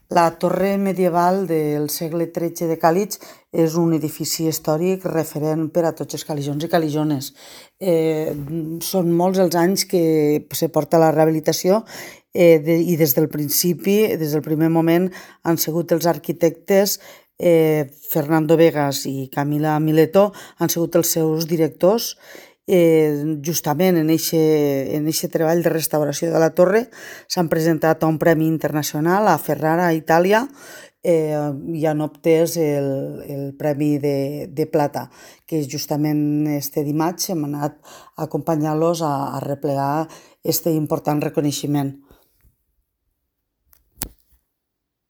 La torre medieval del segle XIII de Càlig és un edifici històric referent per a tots els caligions i calijones. Són molts els anys que se porta la rehabilitació i des del principi, des del primer moment, han sigut els arquitectes Fernando Vegas i Camila Mileto han sigut els seus directors. Justament en eixe treball de restauració de la torre s'han presentat a un premi internacional a Ferrara, a Itàlia, i han obtès el premi de plata, que justament este dimarts hem anat a acompanyar-los a replegar este important reconeixement.